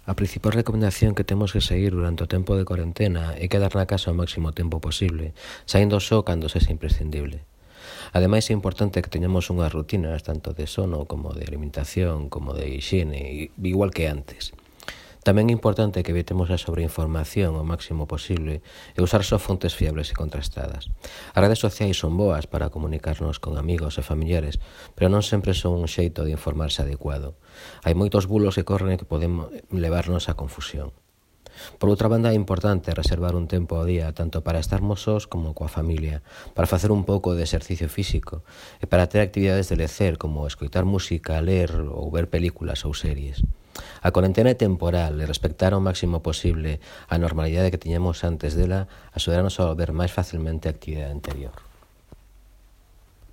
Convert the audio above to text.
A principal recomendación que temos que seguir durante o tempo de corentena é quedar na casa o máximo tempo posible, saindo só cando sexa imprescindible. Ademais, é importante que teñamos unhas rutinas tanto de sono como de alimentación, como de higiene, igual que antes. Tamén é importante que evitemos a sobreinformación o máximo posible e usar só fontes fiables e contrastadas. As redes sociais son boas para comunicarnos con amigos e familiares, pero non sempre son un xeito de informarse adecuado. Hai moitos bulos que corren e que poden levarnos á confusión. Por outra banda, é importante reservar un tempo ao día tanto para estarmos sós como coa familia, para facer un pouco de exercicio físico e para ter actividades de lecer como escoitar música, ler ou ver películas ou series. A corentena é temporal e respectar ao máximo posible a normalidade que tiñamos antes dela axudarnos a volver máis facilmente a actividade anterior.